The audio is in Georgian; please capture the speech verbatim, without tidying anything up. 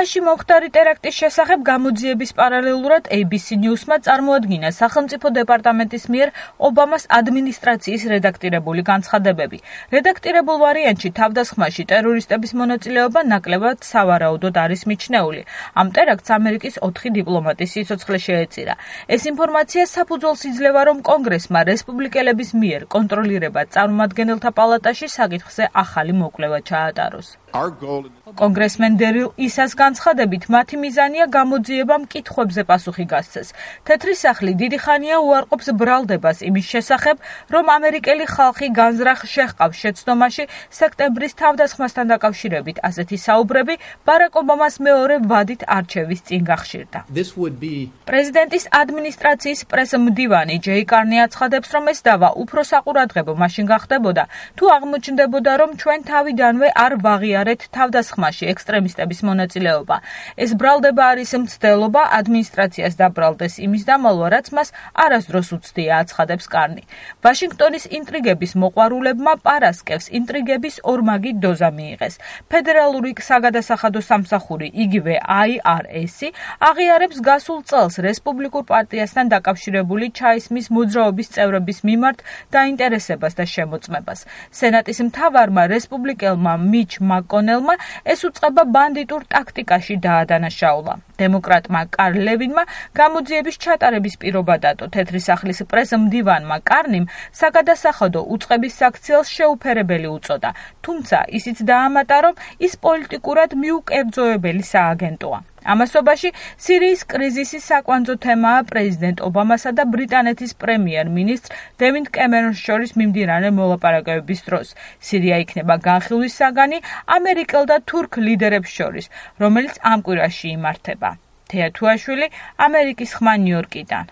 ტეხასში მომხდარი ტერაქტის შესახებ გამოძიების პარალელურად A B C News-მა წარმოადგინა სახელმწიფო დეპარტამენტის მიერ ობამას ადმინისტრაციის რედაქტირებული განცხადებები. რედაქტირებულ ვარიანტში თავდასხმაში ტერორისტების მონაწილეობა ნაკლებად სავარაუდოდ არის მიჩნეული. ამ ტერაქტს ამერიკის ოთხი დიპლომატის სიცოცხლე შეეწირა. ეს ინფორმაცია საფუძველს იძლევა, რომ კონგრესმა რესპუბლიკელების მიერ კონტროლირება წარმომადგენელთა პალატაში საკითხზე ახალი მოკვლევა ჩაატაროს. კონგრესმენ დერილ ისას განცხადებით, მათი მიზანია გამოძიება მკითხვებზე პასუხი გასცეს. თეთრი სახლი დიდი ხანია უარყოფს ბრალდებას იმის შესახებ, რომ ამერიკელი ხალხი განზრახ შეჰყავს შეცდომაში სექტემბრის თავდასხმასთან დაკავშირებით. ასეთი საუბრები ბარაკ ობამას მეორე ვადით არჩევის წინ გახშირდა. პრეზიდენტის ადმინისტრაციის პრესმდივანი ჯეი კარნი აცხადებს, რომ ეს დავა უფრო საყურადღებო მაშინ გახდებოდა, თუ აღმოჩნდებოდა, რომ ჩვენ თავიდანვე არ ვაღიარეთ თავდასხმაში ექსტრემისტების მონაწილეობა. ეს ბრალდება არის მცდელობა ადმინისტრაციას დაბრალდეს იმის დამალვა, რაც მას არასდროს უცდია, აცხადებს კარნი. ვაშინგტონის ინტრიგების მოყვარულებმა პარასკევს ინტრიგების ორმაგი დოზა მიიღეს. ფედერალური საგადასახადო სამსახური, იგივე I R S-ი, აღიარებს გასულ წელს რესპუბლიკურ პარტიასთან დაკავშირებული ჩაისმის მოძრაობის წევრების მიმართ დაინტერესებას და შემოწმებას. სენატის მთავარმა რესპუბლიკელმა მიჩ მაკონელმა ეს უწყება ბანდიტურ ტაქტიკაში დაადანაშაულა. დემოკრატმა კარლ ლევინმა გამოძიების ჩატარების პირობა დადო. თეთრი სახლის პრესმდივანმა კარნიმ საგადასახადო უწყების საქციელს შეუფერებელი უწოდა, თუმცა ისიც დაამატა, რომ ის პოლიტიკურად მიუკერძოებელი სააგენტოა. ამასობაში სირიის კრიზისის საკვანძო თემაა პრეზიდენტ ობამასა და ბრიტანეთის პრემიერ-მინისტრ დევიდ კემერონს შორის მიმდინარე მოლაპარაკებების დროს. სირია იქნება განხილვის საგანი ამერიკელ და თურქ ლიდერებს შორის, რომელიც ამ კვირაში იმართება. თეა თუაშვილი, ამერიკის ხმა ნიუ-იორკიდან.